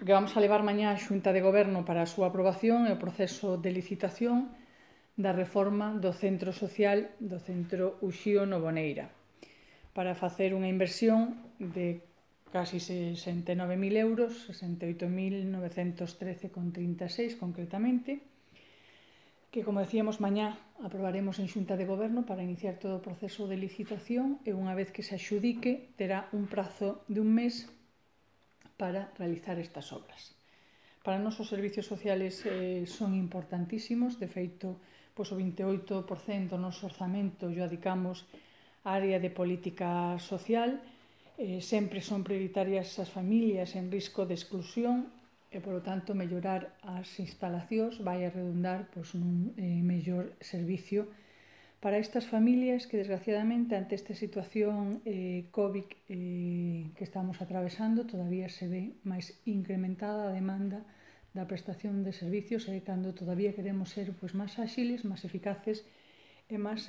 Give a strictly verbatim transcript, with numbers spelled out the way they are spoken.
porque vamos a levar mañá a Xunta de Goberno para a súa aprobación e o proceso de licitación da reforma do centro social do centro Uxío no Boneira, para facer unha inversión de casi sesenta e nove mil euros, sesenta e oito mil novecentos trece con trinta e seis concretamente, que, como decíamos, mañá aprobaremos en Xunta de Goberno para iniciar todo o proceso de licitación e unha vez que se axudique terá un prazo de un mes para realizar estas obras. Para nós os servicios sociales eh, son importantísimos, de feito, pois, o vinte e oito por cento do noso orzamento o adicamos á área de política social, eh, sempre son prioritarias as familias en risco de exclusión e, polo tanto, mellorar as instalacións vai a redundar pois, nun eh, mellor servicio para estas familias que, desgraciadamente, ante esta situación eh, COVID eh, que estamos atravesando, todavía se ve máis incrementada a demanda da prestación de servicios e cando todavía queremos ser pois, máis áxiles, máis eficaces e máis